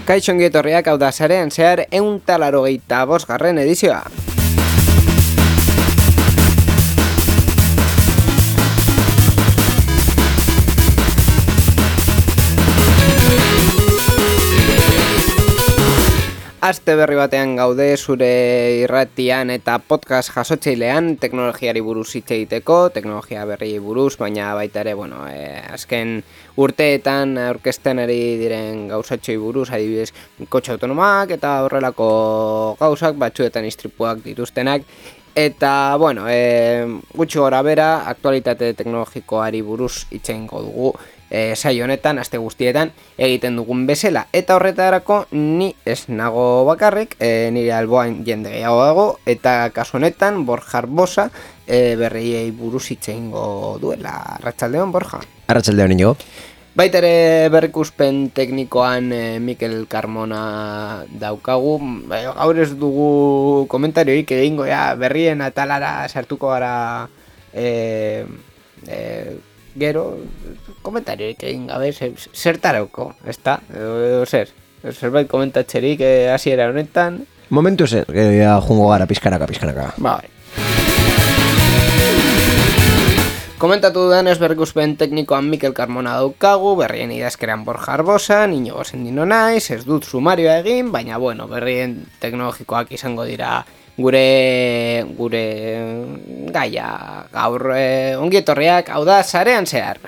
Kaixo ongi etorriak, hau da Sarean Zehar 185. edizioa. Aste berri batean gaude zure irratian eta podcast jasotzailean teknologiari buruz hitz egiteko, teknologia berri buruz, baina baita ere, azken urteetan aurkezten ari diren gauzatxoi buruz, adibidez, kotxe autonomak eta horrelako gauzak, batzuetan istripuak dituztenak. Eta, gutxi gora bera, aktualitate teknologikoari buruz hitz egingo dugu. Saio honetan, aste guztietan egiten dugun bezala. Eta horretarako ni ez nago bakarrik, nire alboan jende gehiago dago, eta kasu honetan Borja Arbosa berriei buruz hitz egingo duela. Arratsaldeon, Borja. Arratsaldeon, Inigo. Baita ere berrikuspen teknikoan Mikel Carmona daukagu. Gaur ez dugu komentarioik egingo, berrien atalara sartuko gara gero, komentarioik egin gabe, zertarauko, ezta? Zerbait komentatzerik hasiera honetan. Momentu zer, jungo gara pizkanaka. Bai. Komentatu dudanez berrikuspen teknikoan Mikel Carmona daukagu, berrien idazkeran Borja Arbosa, Inigo Sendino naiz, ez dut sumarioa egin, baina berrien teknologikoak izango dira gure gaia gaur. Ongi etorriak, hau da Sarean Zehar.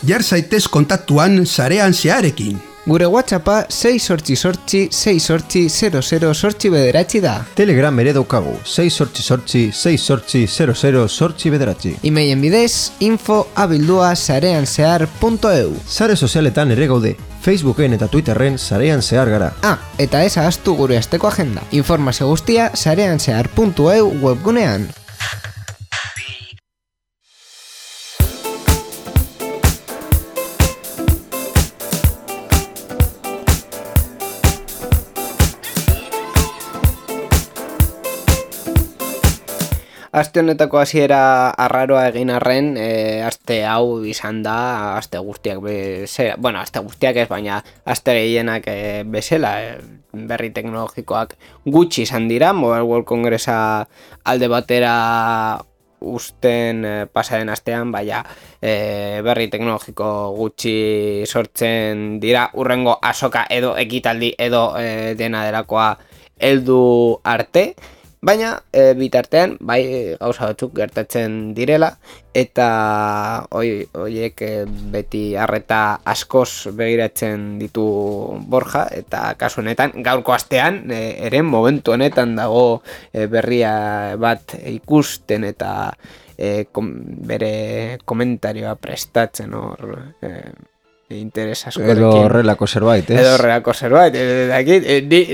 Jar zaitez kontaktuan Sarean Zeharekin. Gure WhatsAppa 688-688-00 da. Telegram ere daukagu, 688-688-00 Emailen bidez, info@sareanzehar.eu. Sare sozialetan ere gaude, Facebooken eta Twitterren Sarean Zehar gara. Eta ez ahaztu gure asteko agenda. Informazio guztia sareanzehar.eu webgunean. Aste honetako hasiera arraroa egin arren, aste hau izan da, aste guztiak bezala, aste guztiak ez, baina aste gehienak bezala, berri teknologikoak gutxi izan dira. Mobile World Congressa alde batera usten pasaren astean, berri teknologiko gutxi sortzen dira, urrengo azoka edo ekitaldi edo dena delakoa heldu arte. Baina, bitartean, gauza batzuk gertatzen direla, eta horiek beti arreta askoz begiratzen ditu Borja, eta kasu honetan, gaurko astean, ere momentu honetan dago berria bat ikusten eta bere komentarioa prestatzen hor interes askorekin. Edo horrelako zerbait, ez? Edo horrelako zerbait.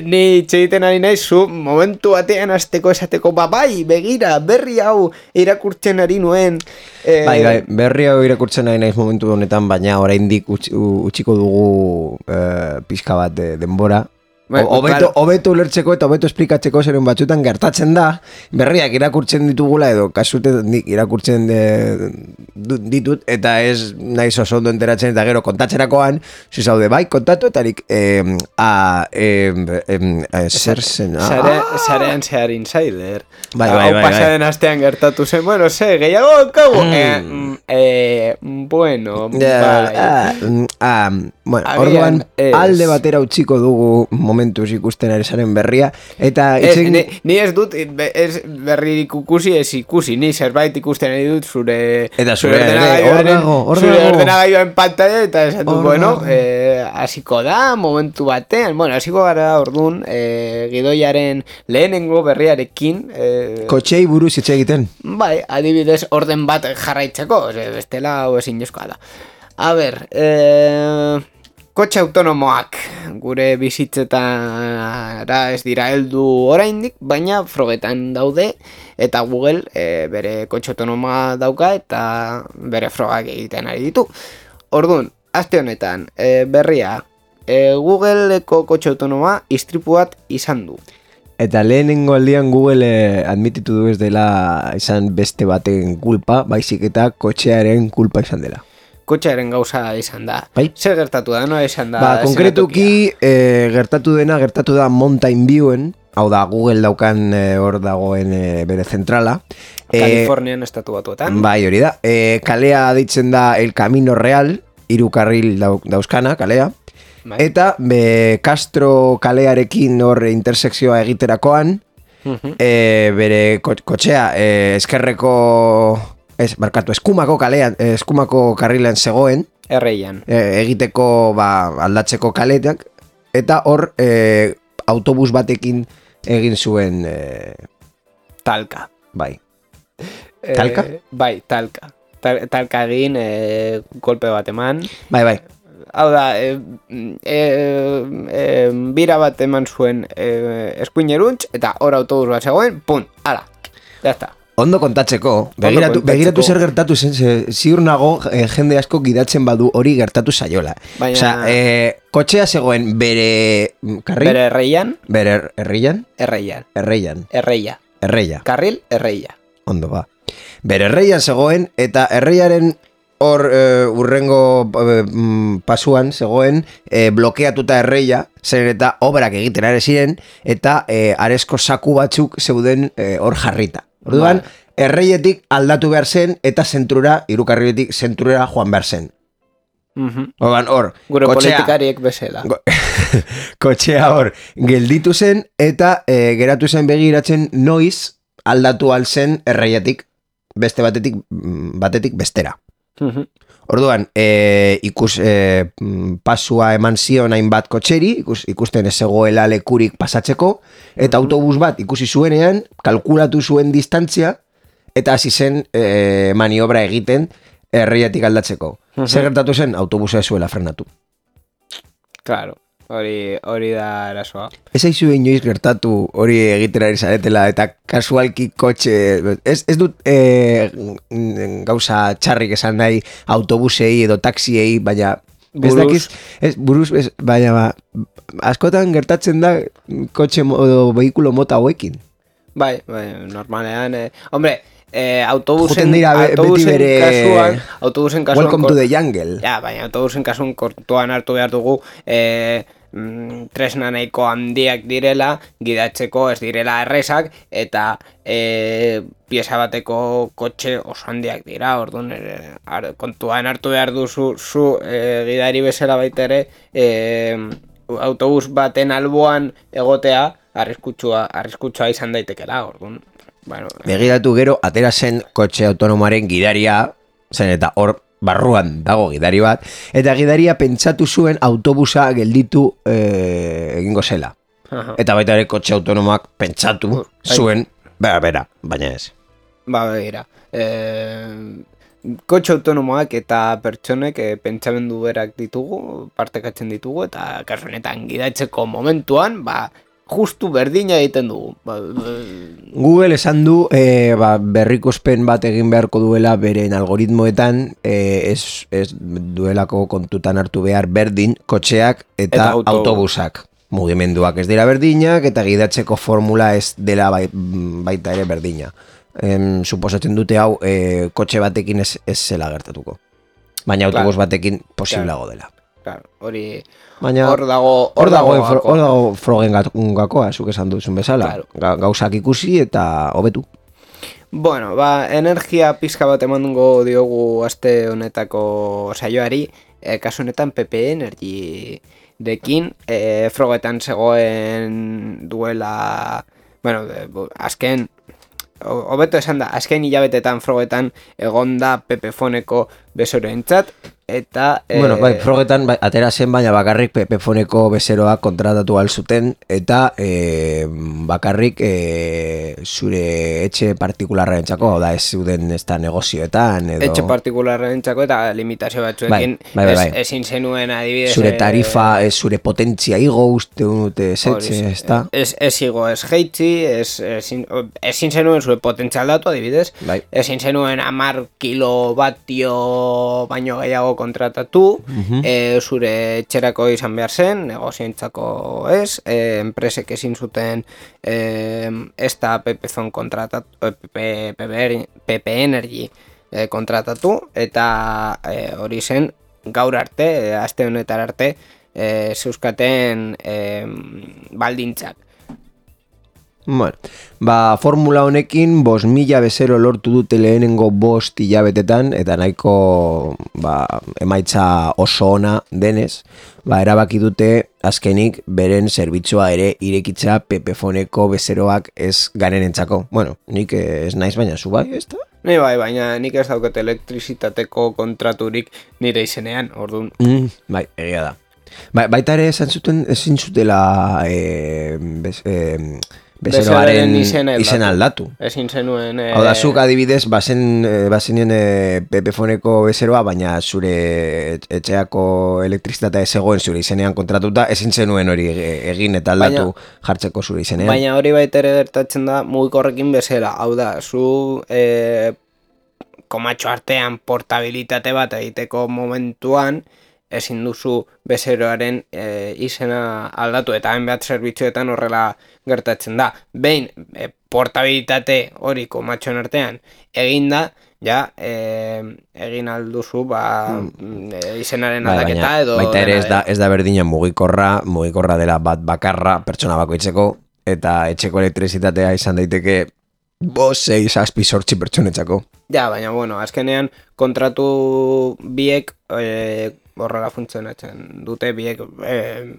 Ni txegiten ari nahi zu momentu batean azteko esateko, begira, berri hau irakurtzen ari nuen. Berri hau irakurtzen ari naiz momentu honetan, baina oraindik utziko dugu pixka bat denbora. Hobeto ulertzeko eta hobeto esplikatzeko zeren batzutan gertatzen da, berriak irakurtzen ditugula edo kasutetan nik irakurtzen ditut, eta ez naiz oso ondo enteratzen eta gero kontatzerakoan, zaude kontatu eta nik zer zen? Sarean Zehar Insider. Bai. Pasaren astean gertatu zen, gehiago kagu. Orduan alde batera utziko dugu momentuz ikusten ari zaren berria, eta ni ez dut berri ikusi, ez ikusi, ni zerbait ikusten ari dut zure ordenagailuaren pantalla, eta esan du, hasiko da momentu batean, hasiko gara orduan gidoiaren lehenengo berriarekin kotxei buruz hitz egiten. Bai, adibidez orden bat jarraitzeko, bestela hau ezin jozkoa da. A ber, Kotxe autonomoak gure bizitzetara ez dira heldu oraindik, baina frogetan daude eta Google bere kotxe autonomoa dauka eta bere frogak egiten ari ditu. Orduan, aste honetan berria, Googleko kotxe autonomoa istripu bat izan du. Eta lehenengo aldian Google admititu du ez dela izan beste baten kulpa, baizik eta kotxearen kulpa izan dela. Kotxearen gauza izan da. Bai? Zer gertatu da, no izan da? Konkretuki gertatu da Mountain Viewen, hau da Google daukan hor dagoen bere zentrala. Kalifornian estatu batuetan. Bai, hori da. Kalea ditzen da El Camino Real, 3 karril dauzkana, kalea. Bai. Eta Castro kalearekin hor intersekzioa egiterakoan, bere kotxea eskerreko... eskumako kalean, eskumako karrilan zegoen. Erreian. Egiteko aldatzeko kaletak. Eta hor autobus batekin egin zuen... talka. Bai. Talka? Bai, talka. Talka egin, golpe bat eman. Bai. Hau da, bira bat eman zuen eskuineruntz, eta hor autobus bat zegoen, pun, ala, jazta. Ondo kontatzeko, begiratu zer gertatu zen, ziur nago jende asko gidatzen badu hori gertatu zaiola. Baina... Osea, kotxea zegoen bere karril... Bere erreian? Bere erreian? Erreian. Erreia. Karril, erreia. Ondo, ba. Bere erreian zegoen, eta erreiaren hor urrengo pasuan zegoen blokeatuta erreia, zer eta obrak egiten are ziren, eta aresko saku batzuk zeuden hor jarrita. Orduan, erreietik aldatu behar zen, eta zentrura, 3 karriletik zentrura joan behar zen. Orduan, hor, gure politikariek bezala. Kotxea hor, gelditu zen, eta geratu zen begiratzen noiz aldatu alzen erreietik, beste batetik bestera. Orduan, pasua eman zion hainbat kotxeri, ikusten ez zegoela lekurik pasatzeko, eta autobus bat ikusi zuenean, kalkulatu zuen distantzia, eta hasi zen maniobra egiten erreiatik aldatzeko. Zer gertatu zen? Autobusa ez zuela frenatu. Claro. Hori da arazoa. Ez aizu inoiz gertatu hori egitera zaretela eta kasualki kotxe... Ez dut gauza txarrik esan nahi autobusei edo taxiei, baina... Baina askotan gertatzen da kotxe edo vehikulo mota hauekin. Bai, normalean... Hombre... autobusen kasuan welcome to the jungle. Ja, baina autobusen kasuan kontuan hartu behar dugu tresna nahiko handiak direla, gidatzeko ez direla errezak, eta pieza bateko kotxe oso handiak dira. Orduan kontuan hartu behar duzu gidari bezala baita ere autobus baten alboan egotea arriskutsua izan daitekela. Orduan begiratu gero, atera zen kotxe autonomoaren gidaria, zen eta hor barruan dago gidari bat, eta gidaria pentsatu zuen autobusa gelditu egingo zela. Eta baita ere kotxe autonomoak pentsatu zuen, baina ez. Begira, kotxe autonomoak eta pertsonek pentsamendu berak ditugu, partekatzen ditugu, eta kasu honetan gidatzeko momentuan, justu berdina egiten dugu. Google esan du berrikuspen bat egin beharko duela beren algoritmoetan, ez duelako kontutan hartu behar berdin kotxeak eta autobusak. Mugimenduak ez dira berdinak eta gidatzeko formula ez dela baita ere berdina. Suposatzen dute hau kotxe batekin ez zela gertatuko. Baina autobus batekin posiblago dela. Hori hor dago frogen gakoa, zuk esan duzun bezala. Gauzak ikusi eta hobetu. Bueno, energia pizka bat emango diogu aste honetako saioari, kasu honetan PP Energy dekin, frogetan zegoen duela, azken, hobeto esan da, azken hilabetetan frogetan egonda Pepefoneko bezeroentzat, eta... Bueno, frogetan atera zen, baina bakarrik Pepefoneko bezeroak kontratatu alzuten, eta bakarrik zure etxe partikularraren txako, da ez zuden ez da negozioetan, edo... Etxe partikularraren txako eta limitazio batzuekin ezin zenuen adibidez... Zure tarifa, zure potentzia igo uste dute zetxe, ez da? Ez igo, ez jeitzi, ezin zenuen zure potentzia aldatu adibidez, ezin zenuen 10 kilovatio baino gehiago kontratatu, zure etxerako izan behar zen, negozioentzako ez, enpresek ezin zuten ez da Pepezon kontratatu, PP Energy kontratatu, eta hori zen gaur arte, aste honetar arte, zeuzkaten baldintzak. Bueno, formula honekin 5.000 bezero lortu dute lehenengo 5 hilabetetan, eta nahiko emaitza oso ona denez, erabaki dute azkenik beren zerbitzua ere irekitza Pepefoneko bezeroak ez garenentzako. Bueno, nik ez naiz, baina zu bai, ez da? Ni bai, baina nik ez dauket elektrizitateko kontraturik nire izenean, orduan. Bai, egia da. Baita ere esan zuten ezin zutela bezeroaren izena aldatu. Ezin zenuen... Hau da, zuk adibidez, bazenien Pepefoneko bezeroa, baina zure etxeako elektrizitatea ez egoen zure izenean kontratuta, ezin zenuen hori egin eta aldatu jartzeko zure izenean. Baina hori baita ere gertatzen da mugikorrekin bezala. Hau da, zu komatxo artean portabilitate bat egiteko momentuan, ezin duzu bezeroaren izena aldatu, eta hainbat zerbitzuetan horrela gertatzen da. Behin, portabilitate hori komatxoen artean eginda, egin alduzu izenaren aldaketa edo... Baita ere ez da berdina mugikorra dela bat bakarra pertsona bakoitzeko, eta etxeko elektrizitatea izan daiteke 6, 7, 8 pertsonetzako. Ja, baina, bueno, azkenean kontratu biek horrela funtzionatzen dute, biek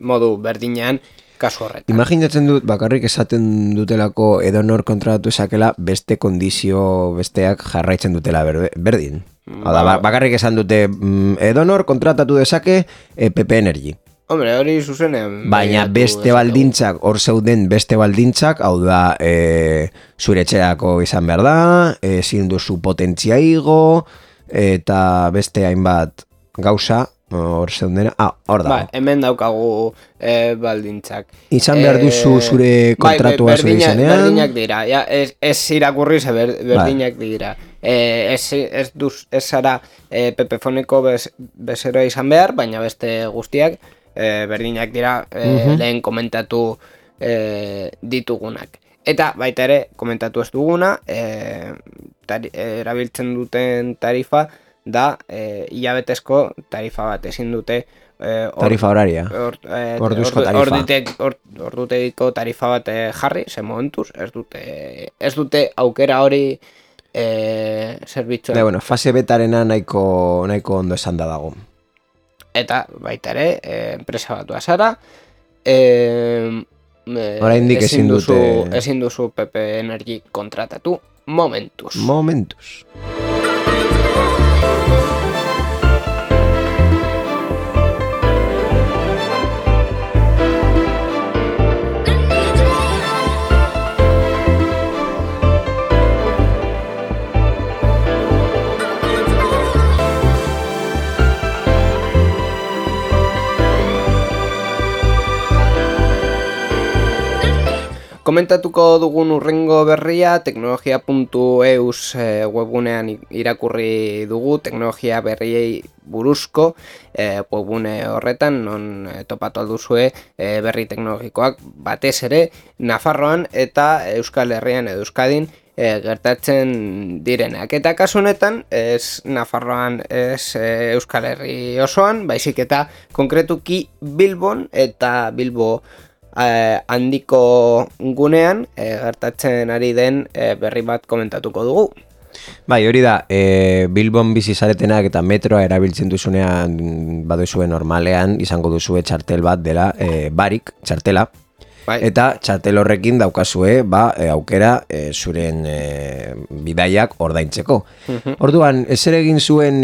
modu berdinean kasu horretan. Imaginatzen dut, bakarrik esaten dutelako edonor kontratatu esakela beste kondizio besteak jarraitzen dutela berdin. Bakarrik esan dute edonor kontratatu dezake PP Energy. Hombre, hori zuzenean... Baina beste baldintzak, hor zeuden beste baldintzak, hau da, zure etxerako izan behar da, ezin duzu potentzia igo, eta beste hainbat gauza, hor zeuden, hor da. Hemen daukagu baldintzak. Izan behar duzu zure kontratua zure izanean. Berdinak dira, ez irakurri ze berdinak dira. Ez zara Pepefoneko bezeroa izan behar, baina beste guztiak, berdinak dira lehen komentatu ditugunak. Eta baita ere komentatu ez duguna, erabiltzen duten tarifa da hilabetezko tarifa bat, ezin dute tarifa horaria, orduzko tarifa, ordutegiko tarifa bat jarri, ze momentuz ez dute aukera hori zerbitzua. Bueno, fase betarena nahiko ondo esan da dago. Eta baita ere, enpresa batua zara, oraindik ezin duzu PP Energy kontratatu momentuz. Komentatuko dugun urrengo berria teknologia.eus webgunean irakurri dugu, teknologia berriei buruzko webgune horretan, non topatu alduzue berri teknologikoak batez ere Nafarroan eta Euskal Herrian edo Euskadin gertatzen direnak. Eta kasu honetan, ez Nafarroan, ez Euskal Herri osoan, baizik eta konkretuki Bilbon eta Bilbo handiko gunean gertatzen ari den berri bat komentatuko dugu. Bai, hori da, Bilbon bizi zaretenak eta metroa erabiltzen duzunean baduzue normalean izango duzue txartel bat dela barik, txartela, Eta txartel horrekin daukazue, aukera zuren bidaiak ordaintzeko. Orduan, ezer egin zuen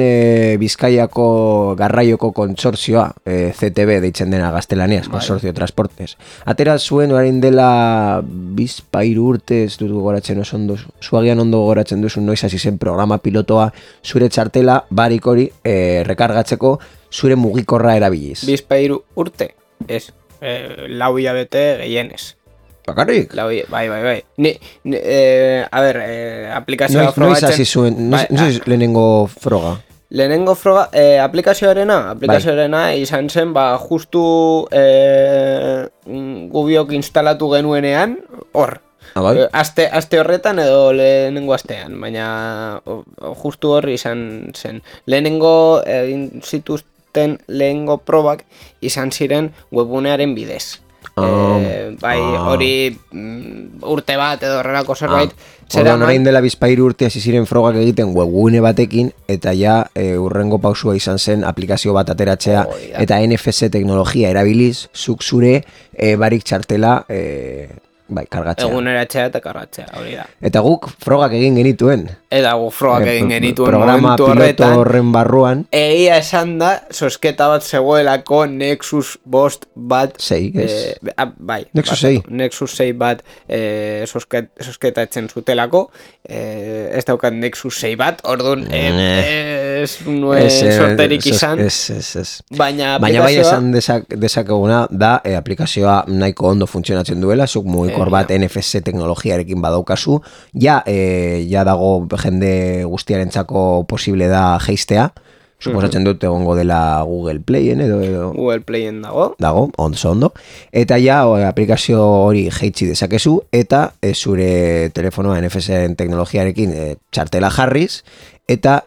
Bizkaiako garraioko kontsortzioa, CTB deitzen dena gaztelaniaz, Consorcio Transportes. Atera zuen orain dela bizpairu urte, ez dut gogoratzen oso ondo, zuagian ondo gogoratzen duzu noiz hasi zen programa pilotoa zure txartela barik hori rekargatzeko zure mugikorra erabiliz. Bizpairu urte, ez, lau hilabete gehienez. Bakarrik? Bai. A ber, aplikazioa frogatzen... Noiz hasi zuen, noiz lehenengo froga? Lehenengo froga, aplikazioarena izan zen, justu gubiok instalatu genuenean, hor. Aste horretan edo lehenengo astean, baina justu hor izan zen. Lehenengo zituzten lehenengo probak izan ziren webgunearen bidez. Hori urte bat edo horrelako zerbait. Orduan orain dela bizpairu urte hasi ziren frogak egiten webgune batekin, eta ja urrengo pausua izan zen aplikazio bat ateratzea, eta NFC teknologia erabiliz, zuk zure barik txartela kargatzea. Eguneratzea eta kargatzea, hori da. Eta guk frogak egin genituen. Programa piloto horren barruan. Egia esan da, sosketa bat zegoelako Nexus 5 bat... 6, ez? Nexus 6. Nexus 6 bat sosketatzen zutelako. Ez daukat Nexus 6 bat, orduan ez nuen sorterik izan. Ez. Baina bai esan dezakeguna da aplikazioa nahiko ondo funtzionatzen duela, zuk mugikor bat NFC teknologiarekin badaukazu, ja dago jende guztiarentzako posible da jeistea, suposatzen dut egongo dela Google Playen edo Google Playen dago, ondo, eta ja aplikazio hori jeitsi dezakezu, eta zure telefonoa NFC teknologiarekin txartela jarriz, eta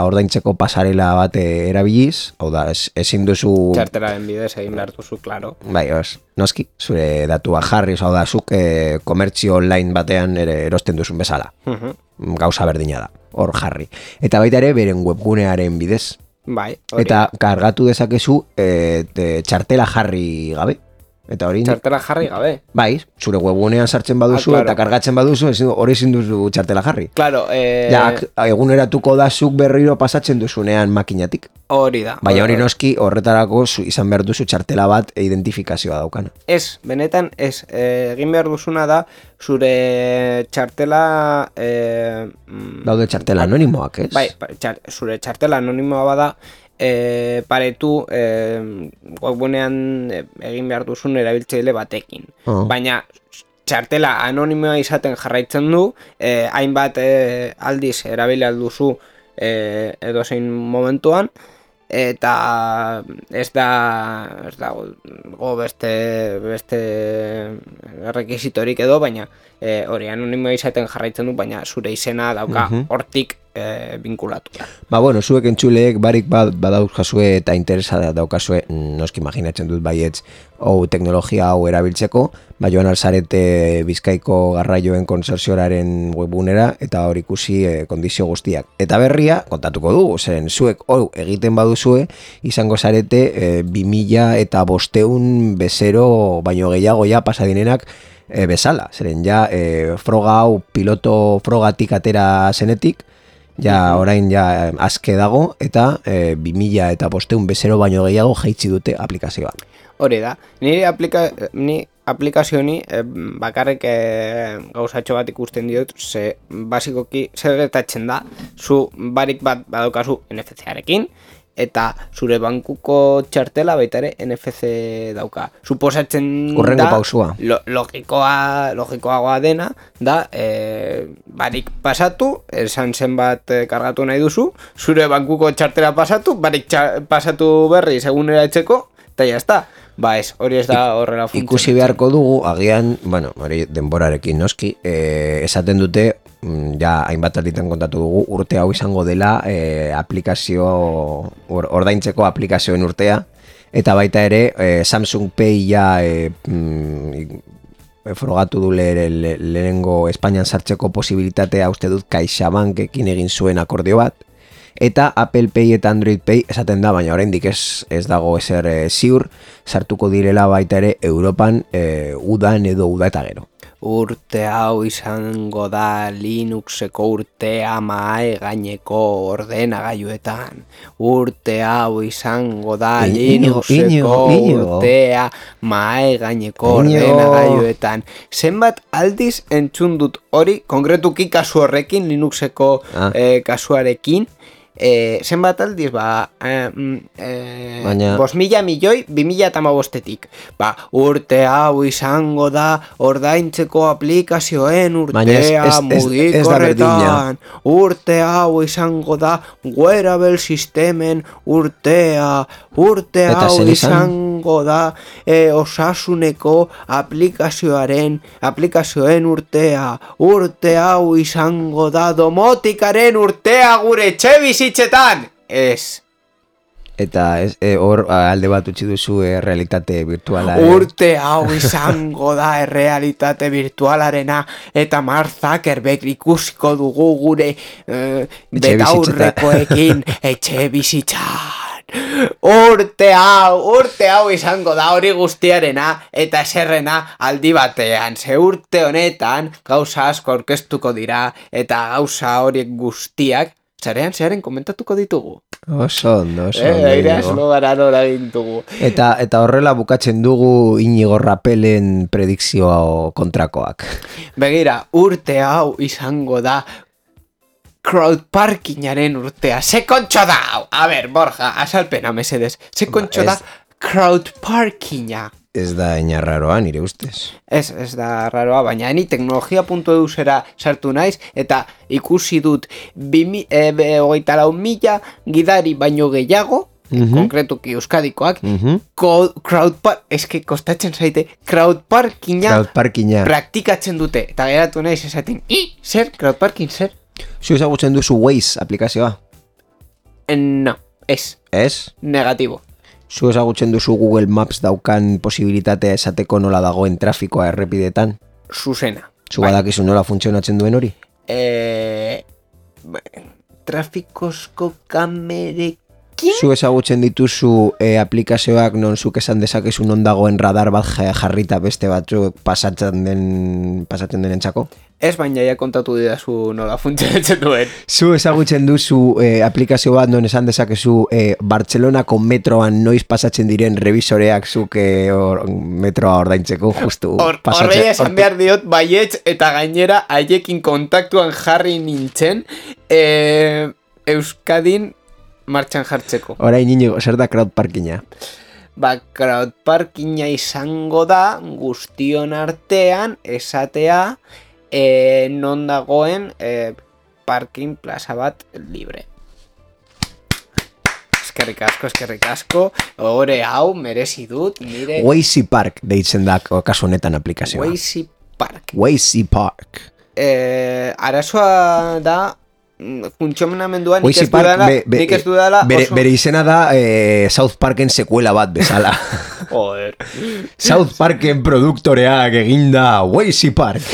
ordaintzeko pasarela bat erabiliz, hau da, ezin duzu... Txartelaren bidez egin behar duzu, klaro. Bai, noski, zure datua jarriz, hau da, zuk komertzio online batean erosten duzun bezala. Gauza berdina da, hor jarri. Eta baita ere, beren webgunearen bidez. Bai, eta kargatu dezakezu txartela jarri gabe. Eta hori... Txartela jarri gabe. Bai, zure webgunean sartzen baduzu eta kargatzen baduzu, hori ezin duzu txartela jarri. Claro, eguneratuko da zuk berriro pasatzen duzunean makinatik. Hori da. Baina hori noski horretarako izan behar duzu txartela bat identifikazioa daukana. Ez, benetan ez. Egin behar duzuna da zure txartela... Daude txartela anonimoak, ez? Bai, zure txartela anonimoa bada... paretu webgunean egin behar duzun erabiltzaile batekin. Baina txartela anonimoa izaten jarraitzen du, hainbat aldiz erabili alduzu edozein momentuan, eta ez dago beste rekisitorik edo, baina hori anonimoa izaten jarraitzen du, baina zure izena dauka hortik vinkulatu. Bueno, zuek entzuleek barik badaukazue eta interesa daukazue, noski imaginatzen dut baietz, teknologia hau erabiltzeko, joan alzarete Bizkaiko garraioen konsorzioraren webgunera eta hor ikusi kondizio guztiak. Eta berria, kontatuko dugu, zeren zuek egiten baduzue, izango zarete 2000 eta 500 bezero baino gehiago ja pasadinenak bezala. Zeren ja froga hau piloto frogatik atera zenetik, ja orain ja azke dago eta 2000 eta 500 bezero baino gehiago jaitsi dute aplikazioa. Hori da, ni aplikazio honi bakarrik gauzatxo bat ikusten diot, ze basikoki zer gertatzen da, zu barik bat badaukazu NFC-arekin, eta zure bankuko txartela baita ere NFC dauka. Suposatzen urrengo da, pausua. Logikoagoa dena, da, barik pasatu, esan zenbat kargatu nahi duzu, zure bankuko txartela pasatu, barik pasatu berri segunera etxeko, eta jazta. Ez, hori ez da horrela funtzionatzen. Ikusi beharko dugu, agian, hori denborarekin noski, esaten dute, ja hainbat alditan kontatu dugu, urte hau izango dela ordaintzeko aplikazioen urtea, eta baita ere Samsung Pay ja frogatu du lehenengo Espainian sartzeko posibilitatea uste dut CaixaBankekin egin zuen akordio bat, eta Apple Pay eta Android Pay esaten da, baina oraindik ez dago ezer ziur, sartuko direla baita ere Europan udan edo uda eta gero. Urte hau izango da Linuxeko urtea mahai gaineko ordenagailuetan. Urte hau izango da Linuxeko urtea mahai gaineko ordenagailuetan. Zenbat aldiz entzun dut hori, konkretuki kasu horrekin, Linuxeko kasuarekin, zenbat aldiz, 5.000 milioi 2015-etik. Urte hau izango da ordaintzeko aplikazioen urtea mugikorretan. Urte hau izango da wearable sistemen urtea. Urte hau izango da osasuneko aplikazioen urtea. Urte hau izango da domotikaren urtea gure etxe bizitzetan. Ez. Eta hor alde bat utzi duzu realitate virtuala. Urte hau izango da realitate virtualarena eta Mark Zuckerberg ikusiko dugu gure betaurrekoekin etxe bizitzan. Urte hau izango da hori guztiarena eta eserrena aldi batean. Ze urte honetan gauza asko aurkeztuko dira eta gauza horiek guztiak zearen komentatuko ditugu. Oso ondo. Eta horrela bukatzen dugu Inigo Rapelen predikzioa kontrakoak. Begira, urte hau izango da crowdparkingaren urtea. Ze kontxo da hau? A ber, Borja, azalpena mesedez. Ze kontxo da crowdparkinga? Ez da inarraroa, nire ustez. Ez da raroa, baina ni teknologia.eusera sartu naiz eta ikusi dut 24.000 gidari baino gehiago, konkretuki euskadikoak, kostatzen zaite, crowdparkinga praktikatzen dute. Eta geratu naiz esaten, zer, crowdparking, zer? Zu ezagutzen duzu Waze aplikazioa? No, ez. Ez? Negatibo. Zu ezagutzen duzu Google Maps daukan posibilitatea esateko nola dagoen trafikoa errepidetan? Zuzena. Zu badakizu nola funtzionatzen duen hori? Trafikozko kamerekin? Zu ezagutzen dituzu aplikazioak non zuk esan dezakezu non dagoen radar bat jarrita beste batzuk pasatzen denentzako? Ez, baina ja kontatu didazu nola funtzionatzen duen. Zu ezagutzen duzu aplikazio bat non esan dezakezu Bartzelonako metroan noiz pasatzen diren revisoreak zuk metroa ordaintzeko justu. Horrei esan behar diot baietz eta gainera haiekin kontaktuan jarri nintzen Euskadin martxan jartzeko. Orain Inigo, zer da crowdparkinga? Crowdparkinga izango da guztion artean esatea non dagoen parking plaza bat libre. Eskerrik asko. Ore hau merezi dut nire... Waze Park deitzen da kasu honetan aplikazioa. Waze Park. Arazoa da funtzionamenduan nik ez dudala bere izena da South Parken sekuela bat bezala. Joder. South Parken produktoreak eginda Waze Park.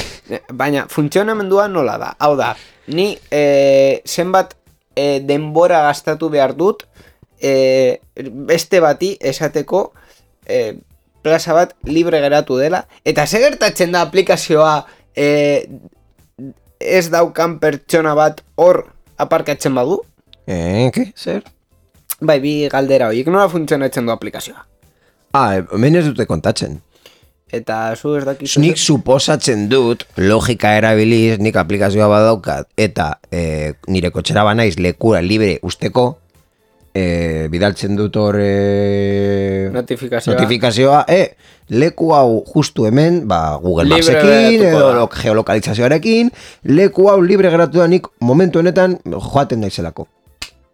Baina funtzionamenduan nola da? Hau da, ni zenbat denbora gastatu behar dut beste bati esateko plaza bat libre geratu dela, eta ze gertatzen da aplikazioa ez daukan pertsona bat hor aparkatzen badu? Ke? Zer? Bai, bi galdera horiek, nola funtzionatzen du aplikazioa? Hemen ez dute kontatzen. Eta zu ez dakizu... Nik suposatzen dut, logika erabiliz, nik aplikazioa badaukat, eta nire kotxera banaiz lekura libre usteko, bidaltzen dut hor notifikazioa, leku hau justu hemen, Google Mapsekin edo geolokalizazioarekin, leku hau libre geratu da nik momentu honetan joaten naizelako.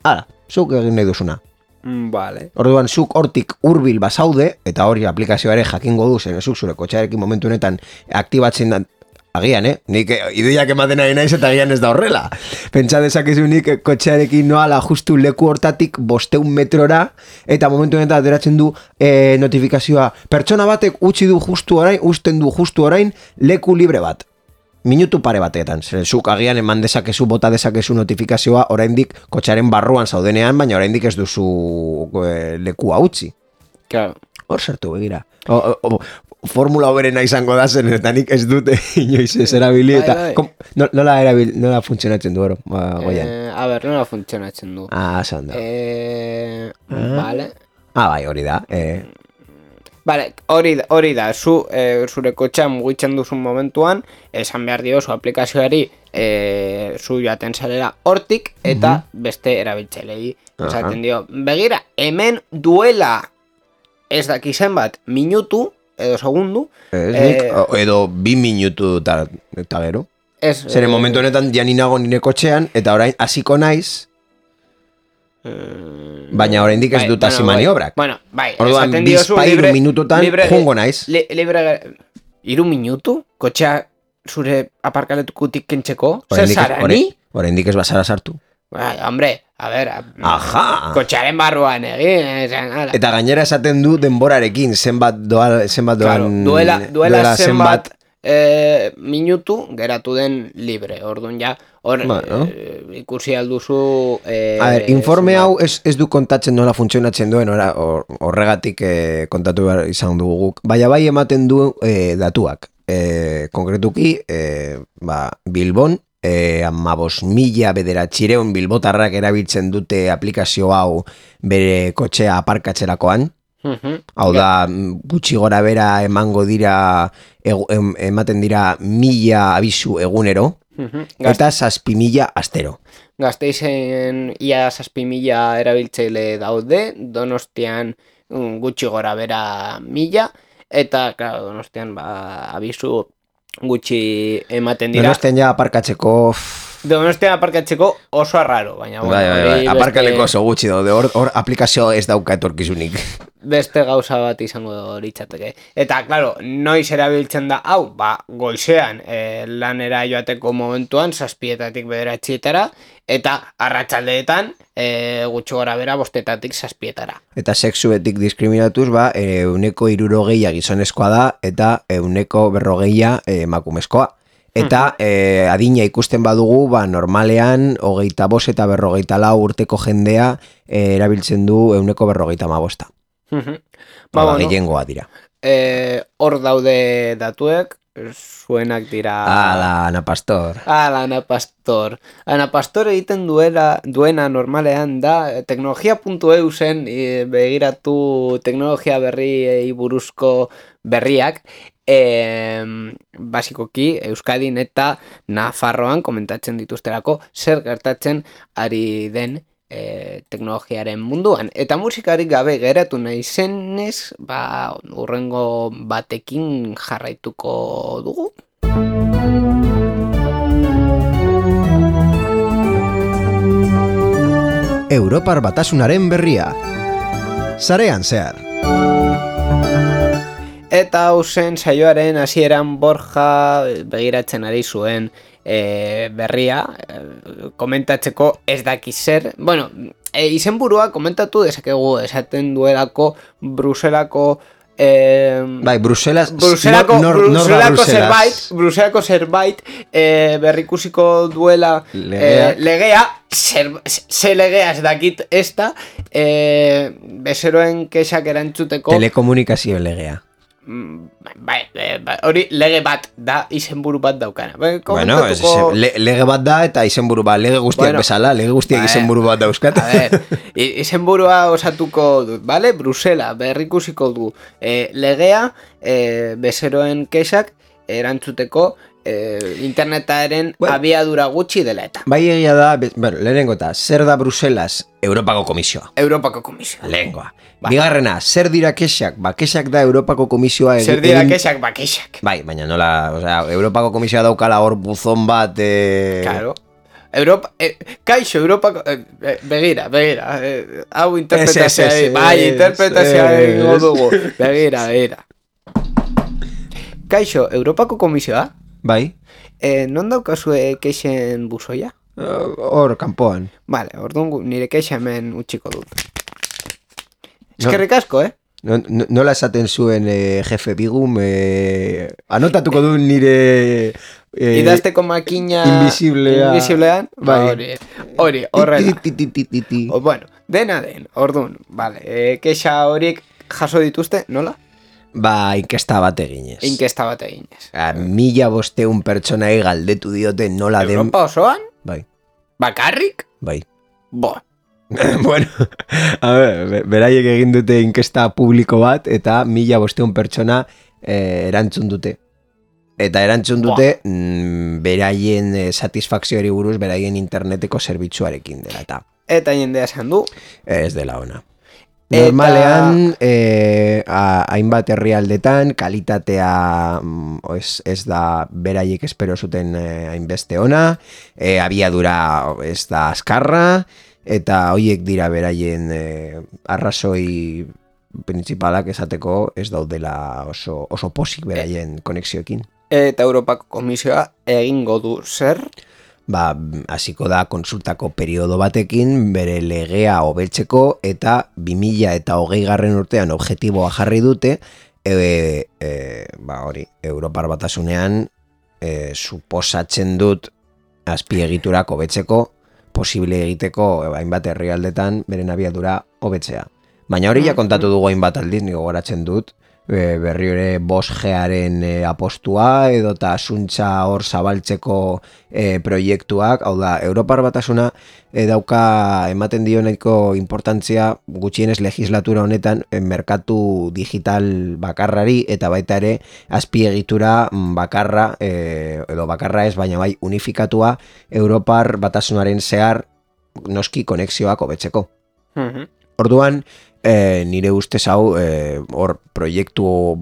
Hala, zuk egin nahi duzuna. Vale. Orduan, zuk hortik hurbil bazaude, eta hori aplikazioa ere jakingo du, zen zuk zure kotxearekin momentu honetan aktibatzen agian, nik ideiak ematen ari naiz eta agian ez da horrela. Pentsa dezakezu nik kotxearekin noala justu leku hortatik 500 metrora, eta momentu honetan ateratzen du notifikazioa. Pertsona batek usten du justu orain leku libre bat. minutu pare batetan. Zuk agian eman dezakezu, bota dezakezu notifikazioa, oraindik kotxaren barruan zaudenean, baina oraindik ez duzu lekua utzi. Claro. Hor sartu begira. Formula oberena izango da zen, eta nik ez dute inoiz ez erabili, eta nola funtzionatzen du, Goian? A ber, nola funtzionatzen du. Esan da. Vale. Bai, hori da. Vale, hori da, zure kotxea mugitzen duzun momentuan, esan behar dio zu aplikazioari zu joaten zarela hortik, eta beste erabiltzailei esaten dio. Begira, hemen duela ez dakizen bat minutu, edo segundu. Edo 2 minutu eta gero. Zer, momentu honetan janinago nire kotxean, eta orain hasiko naiz, baina oraindik ez dut hasi maniobrak. Bueno, bai, orduan, bizpa 3 minututan jungo naiz. Libre 3 minutu? Kotxea zure aparkaletukutik kentzeko? Zer zara, ni? Oraindik ez bazara sartu. Hombre, a ver, kotxearen barruan egin. Eta gainera esaten du denborarekin, zenbat doan... Duela zenbat minutu geratu den libre. Orduan ja, ikusi alduzu... informe hau ez du kontatzen nola funtzionatzen duen, horregatik kontatu behar izan dugu guk. Baina bai ematen du datuak. Konkretuki, Bilbon, 15.000 bilbotarrak erabiltzen dute aplikazio hau bere kotxea aparkatzerakoan. Hau da, gutxi gora bera emango dira, ematen dira 1.000 abisu egunero, eta 7.000 astero. Gasteizen ia 7.000 erabiltzaile daude, Donostian gutxi gora bera 1.000, eta, claro, Donostian abisu gutxi ematen dira. Donostian aparkatzeko oso arraro, baina bai, aparkaleko oso gutxi daude, hor aplikazio ez dauka etorkizunik. Beste gauza bat izango litzateke. Eta, claro, noiz erabiltzen da, hau, goizean lanera joateko momentuan, 7:00 9:00, eta arratsaldeetan gutxi gora bera 5:00 7:00. Eta sexuetik diskriminatuz, 160 gizonezkoa da, eta 140 emakumezkoa. Eta adina ikusten badugu, normalean 25 eta 54 urteko jendea erabiltzen du 155. Gehiengoa dira. Hor daude datuek, zuenak dira... Ana Pastor. Ana Pastor. Ana Pastor egiten duena normalean da teknologia.eu zen begiratu teknologia berriei buruzko berriak. Basikoki Euskadin eta Nafarroan komentatzen dituzterako zer gertatzen ari den teknologiaren munduan. Eta musikarik gabe geratu nahi zenez, urrengo batekin jarraituko dugu. Europar Batasunaren berria. Sarean zehar. Eta hau zen saioaren hasieran Borja begiratzen ari zuen berria, komentatzeko ez dakiz zer. Bueno, izenburua komentatu dezakegu, esaten duelako Bruselako... Bruselako zerbait berrikusiko duela legea, ze legea ez dakit ez da, bezeroen kexak erantzuteko... Telekomunikazio legea. Hori lege bat da, izenburu bat daukana. Bueno, lege bat da eta izenburu bat, lege guztiak bezala, lege guztiak izenburu bat dauzkat. A ver, izenburua osatuko dut, vale? Brusela berrikusiko du legea, bezeroen kexak erantzuteko internetaren abiadura gutxi dela eta. Bai egia da, lehenengo eta, zer da Bruselas? Europako Komisioa. Lehenengoa. Bigarrena, zer dira kexak? Kexak da Europako Komisioa... Zer dira kexak? Kexak. Bai, baina nola, Europako Komisioa daukala hor buzon bat... Claro. Kaixo, Europako... Begira. Hau interpretazioa. Bai, interpretazioa dugu. Begira. Kaixo, Europako Komisioa? Bai. Non daukazue kexen buzoia? Hor, kanpoan. Vale, orduan nire kexa hemen utxiko dut. Eskerrik asko, Nola esaten zuen jefe Bigum, anotatuko du nire idazteko makina invisiblean, bai. Hori, horrela. Bueno, dena den, ordun, vale. Kexa horiek jaso dituzte, nola? Ba, inkesta bat eginez. 1500 pertsonai galdetu diote nola den... Europa osoan? Bai. Bakarrik? Bai. Bo. Bueno, a ver, beraiek egin dute inkesta publiko bat, eta 1500 pertsona erantzun dute. Eta erantzun dute beraien satisfakzioari buruz, beraien interneteko zerbitzuarekin dela. Eta jendea esan du? Ez dela ona. Normalean, hainbat herrialdetan, kalitatea ez da beraiek espero zuten hainbeste ona, abiadura ez da azkarra, eta hoiek dira beraien arrazoi principalak esateko ez daudela oso posik beraien konexioekin. Eta Europako Komisioa egingo du zer? Ba, hasiko da konsultako periodo batekin bere legea hobetzeko eta 2020 urtean objektiboa jarri dute hori, Europar Batasunean suposatzen dut azpiegiturak hobetzeko posible egiteko hainbat herrialdetan beren abiadura hobetzea. Baina hori ja kontatu dugu hainbat aldiz, nigo goratzen dut, berri ere 5Garen apostua edo eta asuntza hor zabaltzeko proiektuak, hau da, Europar Batasuna dauka ematen dio nahiko importantzia gutxienez legislatura honetan merkatu digital bakarrari eta baita ere azpiegitura bakarra, edo bakarra ez, baina bai unifikatua Europar Batasunaren zehar noski konexioak hobetzeko. Orduan, nire ustez hau hor proiektu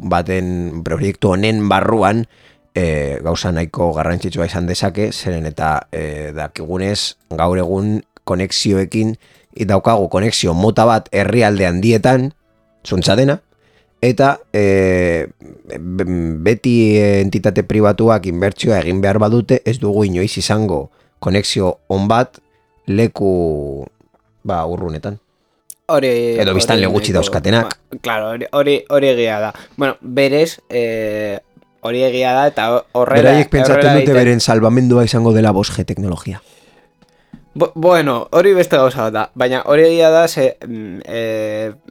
honen barruan gauza nahiko garrantzitsua izan dezake, zeren eta dakigunez gaur egun konexioekin daukagu konexio mota bat herrialde handietan, zuntza dena, eta beti entitate pribatuak inbertsioa egin behar badute, ez dugu inoiz izango konexio on bat leku urrunetan. Edo biztan legutsi dauzkatenak. Claro, hori egia da. Bueno, berez, hori egia da, eta horrela... Beraiek pentsatzen dute beren salvamendua izango dela 5G teknologia. Bueno, hori beste gauza da. Baina hori egia da,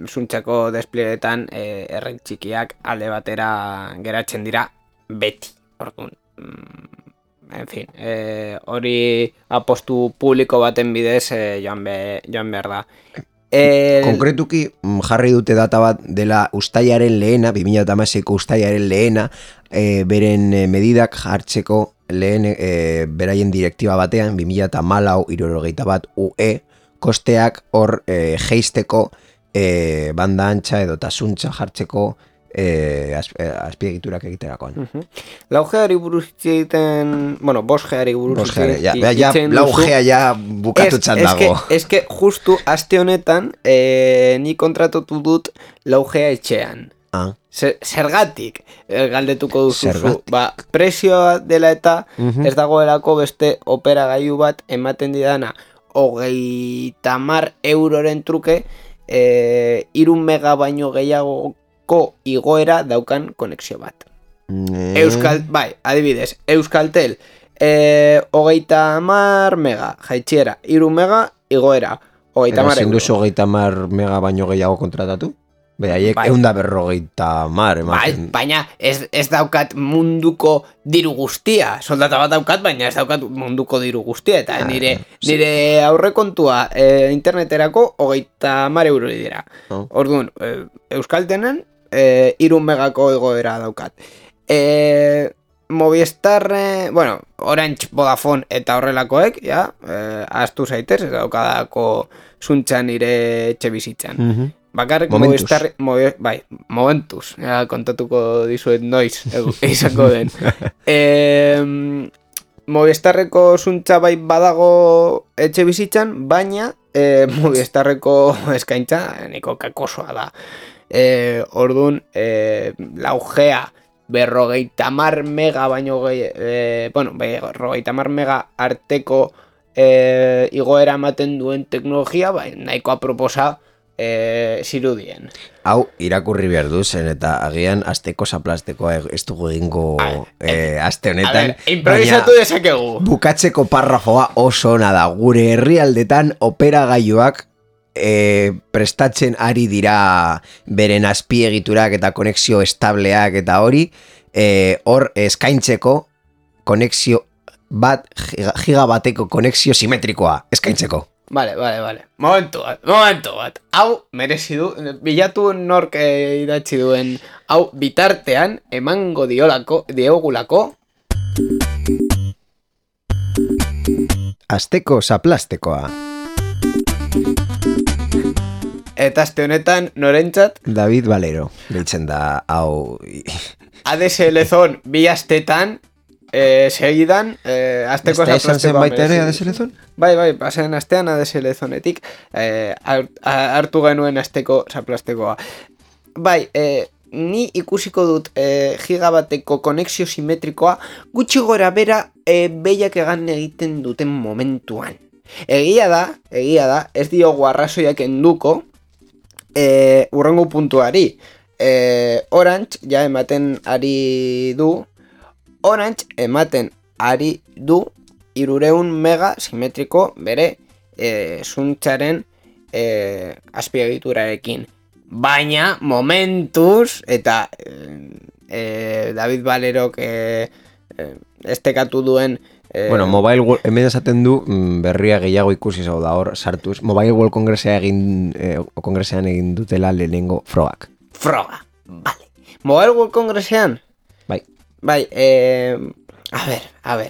zuntzako despliegetan erren txikiak alde batera geratzen dira beti. Orduan, en fin, hori apostu publiko baten bidez joan behar da. Konkretuki jarri dute data bat dela ustailaren lehena, 2016ko ustailaren lehena, beren medidak jartzeko lehen beraien direktiba batean, 2014-61 UE, kosteak hor geisteko banda antxa edo tasuntza jartzeko azpiegiturak egiterakoan. 4Gari buruz egiten, bueno, 5Gari buruz egiten, 4G ja bukatutzat dago. Ez que justu aste honetan ni kontratatu dut 4G etxean. Zergatik galdetuko duzu. Prezioa dela eta ez dagoelako beste operagailu bat ematen didana 30 euroren truke 3 mega baino gehiago igoera daukan konexio bat. Adibidez, Euskaltel 30 mega jaitxiera, 3 mega igoera, 30 euro. Ezin duzu 30 mega baino gehiago kontratatu? Behaiek 150 ematen. Baina ez daukat munduko diru guztia. Soldata bat daukat, baina ez daukat munduko diru guztia. Eta nire aurrekontua interneterako 30 euro dira. Orduan, Euskaltenen 3 megako igoera daukat. Movistar, bueno, Orange, Vodafone eta horrelakoek, ahaztu zaitez, ez daukadako zuntza nire etxe bizitzan. Bakarrik Movistar, momentuz, kontatuko dizuet noiz, izango den. Movistarreko zuntza bai badago etxe bizitzan, baina Movistarreko eskaintza niko kakosoa da. Orduan, 4G 50 mega baino bueno, 50 mega arteko igoera ematen duen teknologia, nahiko aproposa zirudien. Hau, irakurri behar duzen, eta agian azteko zaplastekoa ez dugu egingo aste honetan. A ver, improvisatu dezakegu. Bukatzeko parrafoa oso ona da. Gure herrialdetan operagailuak prestatzen ari dira beren azpiegiturak eta konexio estableak eta hori, hor eskaintzeko konexio bat, gigabateko konexio simetrikoa eskaintzeko. Vale. Momentu bat. Hau, merezi du, bilatu nork idatzi duen, hau bitartean emango diogulako. Azteko zaplastekoa. Eta aste honetan, norentzat? David Valero, biltzen da, hau... ADSL zon, bi astetan, segidan, azteko zaplastekoa. Esta esan baita ere ADSL zon? Bai, pasen astean ADSL zonetik hartu genuen azteko zaplastekoa. Bai, ni ikusiko dut gigabateko konexio simetrikoa gutxi gora bera behiak egan egiten duten momentuan. Egia da, ez diogu arrazoiak enduko urrengo puntuari. Orange ja ematen ari du, ari du 300 mega simetriko bere zuntzaren azpiegiturarekin. Baina, momentuz, eta David Valerok estekatu duen... Bueno, Mobile World, hemen esaten du berria gehiago ikusi zau da hor sartuz. Mobile World Kongresean egin dutela lehenengo frogak. Froga, vale. Mobile World Kongresean? Bai, a ver.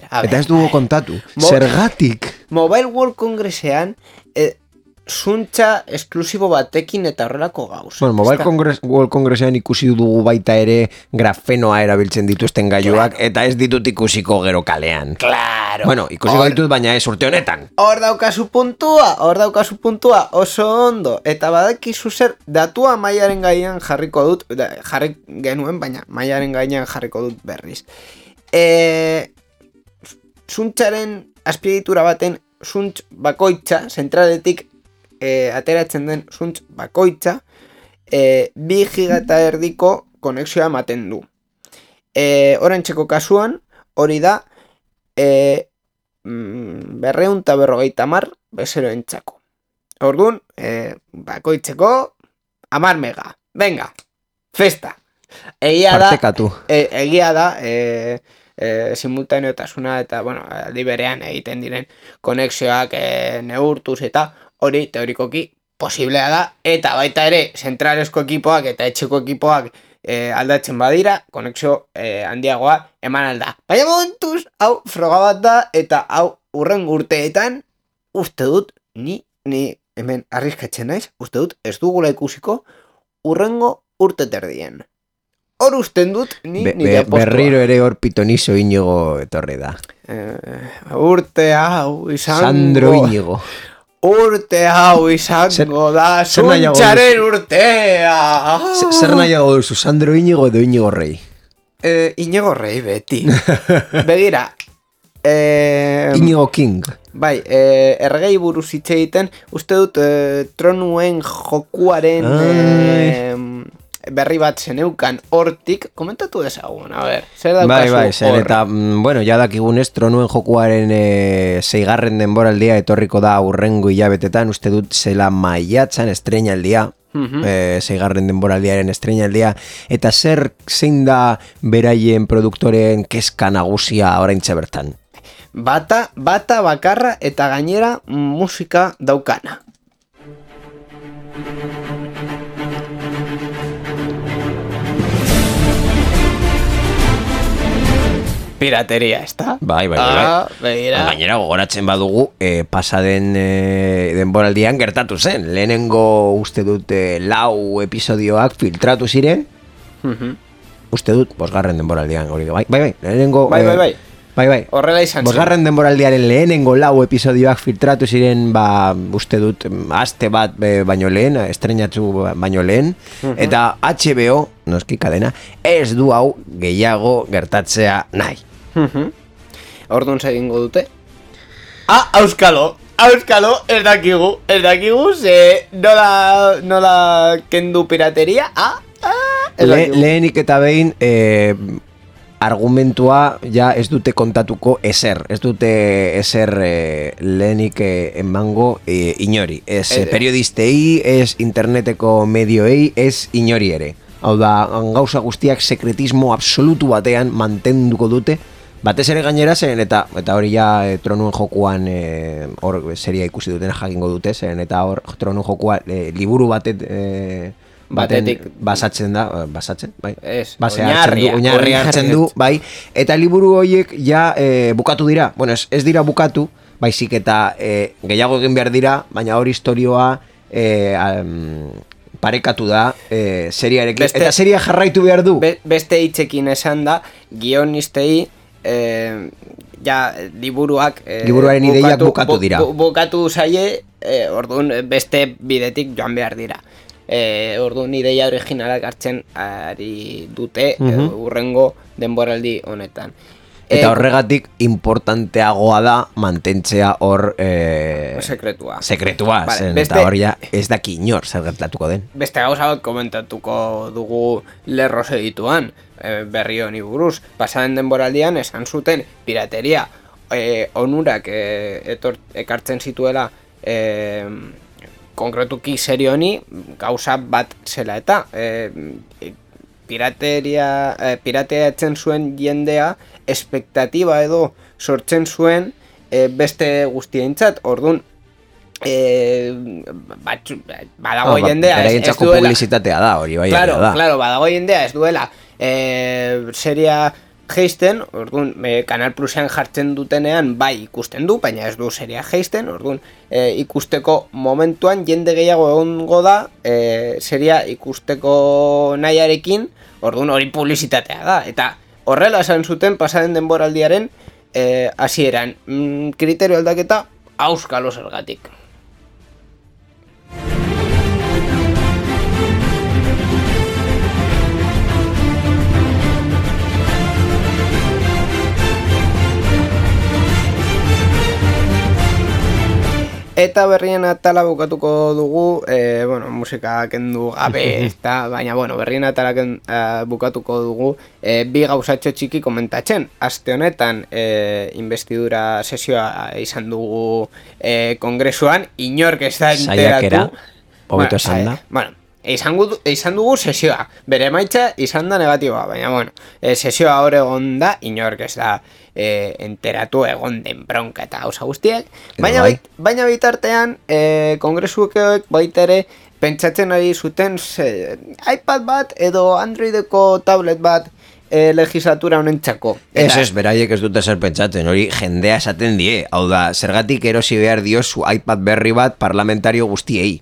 Eta ez dugu kontatu, zergatik. Mobile World Kongresean zuntza esklusibo batekin eta horrelako gauz. Bueno, Mobile World Kongresean ikusi dugu baita ere grafenoa erabiltzen dituzten gailuak, eta ez ditut ikusiko gero kalean. Claro. Bueno, ikusiko ditut, baina ez urte honetan. Hor daukazu puntua, oso ondo. Eta badakizu zer, datua mailaren gainean jarriko dut, jarri genuen, baina mailaren gainean jarriko dut berriz. Zuntzaren azpiegitura baten zuntz bakoitza, zentraletik ateratzen den zuntz bakoitza 2 giga eta erdiko konexioa ematen du. Orantxeko kasuan, hori da 250 bezeroentzako. Orduan, bakoitzeko 10 mega. Venga, festa. Egia da, simultaneotasuna eta, bueno, aldi berean egiten diren konexioak neurtuz eta hori teorikoki posiblea da, eta baita ere zentralesko ekipoak eta etxeko ekipoak aldatzen badira, konexio handiagoa eman alda. Baina momentuz, hau froga bat da, eta hau urrengo urteetan, uste dut, ni hemen arriskatzen naiz, uste dut ez dugula ikusiko urrengo urte terdien. Hor usten dut, nire postua. Berriro ere hor pitonizo Inigo etorri da. Urte hau izango... Sandro Inigo. Urte hau izango da, zuntzaren urtea. Zer nahiago duzu, Sandro Inigo edo Inigo Rei? Inigo Rei beti. Begira. Inigo King. Bai, ergei buruz hitz egiten, uste dut tronuen jokuaren... berri bat zeneukan hortik, komentatu dezagun, a ber, zer daukazu bai, zer, eta, bueno, ja dakigunez, tronuen jokuaren 6. denboraldia etorriko da urrengo hilabetetan, uste dut zela maiatzan estreinaldia, 6. denboraldiaren estreinaldia, eta zein da beraien produktoren kezka nagusia oraintxe bertan? Bata bakarra eta gainera musika daukana. Pirateria, ez da? Bai. Gainera gogoratzen badugu, pasaden denboraldian gertatu zen. Lehenengo uste dut 4 episodioak filtratu ziren. Uste dut, 5. denboraldian hori. Bai. Lehenengo... Bai. Horrela izan zen. 5. denboraldiaren lehenengo 4 episodioak filtratu ziren, uste dut, aste bat baino lehen, estreinatu baino lehen, eta HBO, noski kadena, ez du hau gehiago gertatzea nahi. Orduan egingo dute. Auskalo, Auskalo, ez dakigu, ze nola kendu pirateria, Lehenik eta behin, argumentua ja ez dute kontatuko ezer lehenik emango inori, ez periodistei, ez interneteko medioei, ez inori ere. Hau da, gauza guztiak sekretismo absolutu batean mantenduko dute, batez ere gainera zen, eta hori ja Tronuen jokuan hor seria ikusi duten jakingo dute, zen eta hor Tronuen jokuan liburu batetik basatzen, bai. Oinarri hartzen du, bai. Eta liburu horiek ja bukatu dira. Bueno, ez dira bukatu, baizik eta gehiago egin behar dira, baina hor istorioa parekatu da seriarekin. Eta seria jarraitu behar du. Beste hitzekin esan da, guionistei ja liburuak liburuaren ideiak bukatu dira. Bukatu zaie, orduan beste bidetik joan behar dira. Orduan ideia originalak hartzen ari dute urrengo denboraldi honetan. Eta horregatik importanteagoa da mantentzea hor sekretua, zen, eta hor ja ez daki inor zer gertatuko den. Beste gauza bat komentatuko dugu lerroz edituan, berri honi buruz. Pasaden denboraldian esan zuten pirateria onurak ekartzen zituela konkretuki serio honi gauza bat zela eta pirateatzen zuen jendea espektatiba edo sortzen zuen beste guztientzat. Orduan badago jendea ez duela publizitatea da hori, bai. Claro, badago jendea ez duela seria geisten, orduan Canal Plusean jartzen dutenean bai ikusten du, baina ez du seria geisten, orduan ikusteko momentuan jende gehiago egongo da seria ikusteko nahiarekin, orduan hori publizitatea da, eta horrela esan zuten pasaden denboraldiaren hasieran kriterio aldaketa auskalo zergatik. Eta berrien atala bukatuko dugu, musika kendu gabe, baina berrien atala bukatuko dugu bi gauzatxo txiki komentatzen. Aste honetan investidura sesioa izan dugu kongresuan, inork ez da enteratu. Hobeto esan da. Izan dugu sesioa, bere emaitza izan da negatiboa, baina sesioa hor egon da, inork ez da enteratu egon den bronka eta gauza guztiak, baina bitartean kongresuek baita ere pentsatzen ari zuten iPad bat edo Androideko tablet bat legislatura honentzako. Ez, beraiek ez dute zer pentsatzen, hori jendea esaten die, hau da, zergatik erosi behar diozu iPad berri bat parlamentario guztiei.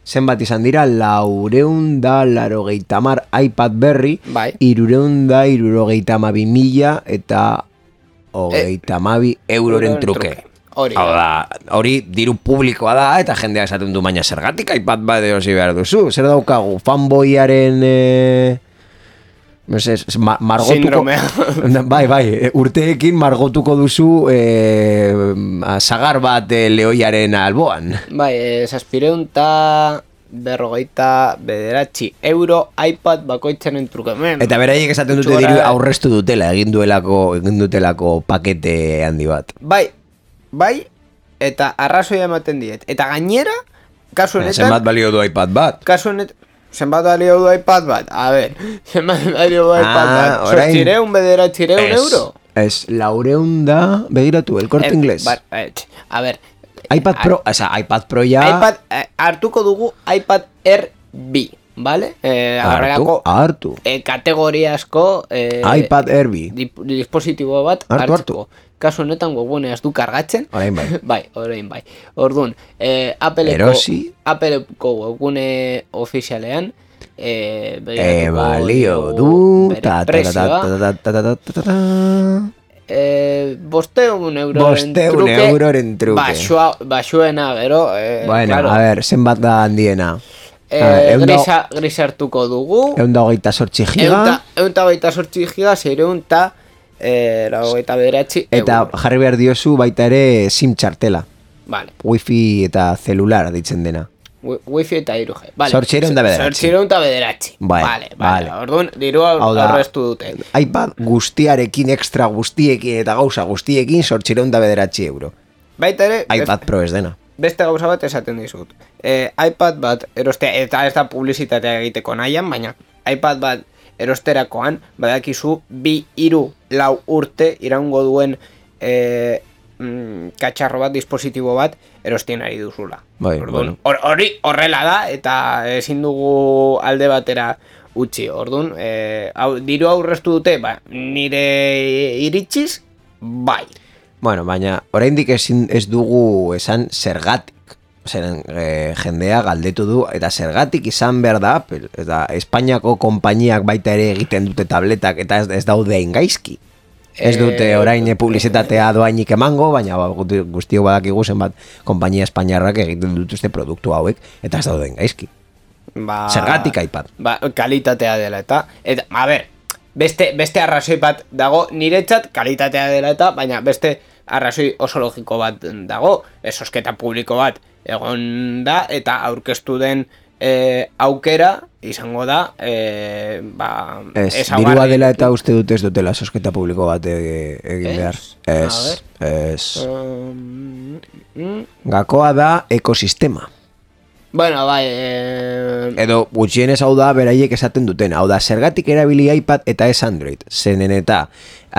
Zenbat izan dira, 480 iPad berri, 372.000 eta 32 euroren truke. Hori diru publikoa da, eta jendea esaten du, baina zergatik iPad bat erosi behar duzu. Zer daukagu, fanboyaren sindromea. Bai, urteekin margotuko duzu sagar bat lehoiaren alboan. Bai, 749 euro iPad bakoitzaren truke. Eta beraiek esaten dute diru aurrestu dutela, egin dutelako pakete handi bat. Bai, eta arrazoia ematen diet. Eta gainera, kasu honetan... Zenbat balio du iPad bat? Kasu honetan... Zenbat balio du iPad bat? A ver, zenbat balio du iPad bat? Sortzireun euro? Ez, 400 da, begiratu, el Corte Inglés. A ver... iPad Pro, iPad Pro ya... Hartuko dugu iPad Air B, ¿vale? Hartu. Kategoriazko... iPad Air B. Dispositibo bat hartuko. Kasu honetan webguneaz du kargatzen. Orain bai. Bai. Orduan, Appleko webgune ofizialean balio du €500 euroren truke. Baxuena, gero... Bueno, a ver, zenbat da handiena. Gris hartuko dugu. 128 giga. 128 giga, 600 eta jarri behar diozu baita ere SIM txartela. Vale. Wifi eta celular ditzen dena. Wifi eta 3G. Vale. 809. Vale. Orduan, dirua aurreztu dute. iPad guztiarekin, extra guztiekin eta gauza guztiekin 809 euro. Baita ere... iPad Pro ez dena. Beste gauza bat esaten dizut. iPad bat erostea, eta ez da publizitatea egiteko nahian, baina iPad bat erosterakoan, badakizu 2-3 urte iraungo duen katxarro bat, dispositibo bat, erostien ari duzula. Bai, orduan, hori horrela da, eta ezin dugu alde batera utzi. Orduan, diru aurreztu dute, nire iritsiz, bai. Bueno, baina oraindik ez dugu esan zergatik. Zeren jendea galdetu du, eta zergatik izan behar da Apple. Eta Espainiako konpainiak baita ere egiten dute tabletak, eta ez daude gaizki. Ez dute orain publizitatea doainik emango, baina guztiok badakigu zenbat konpainia espainiarrak egiten dituzte produktu hauek, eta ez dauden gaizki. Zergatik iPad. Kalitatea dela eta a ber, beste arrazoi bat dago, niretzat kalitatea dela eta, baina beste arrazoi oso logiko bat dago, esosketa publiko bat egon da, eta aurkeztu den aukera izango da dirua dela eta uste dut ez dutela sosketa publiko bat egin behar. Gakoa da ekosistema. Bueno, bai... Edo gutxienez hau da beraiek esaten duten. Hau da, zergatik erabili iPad eta ez Android. Zenen eta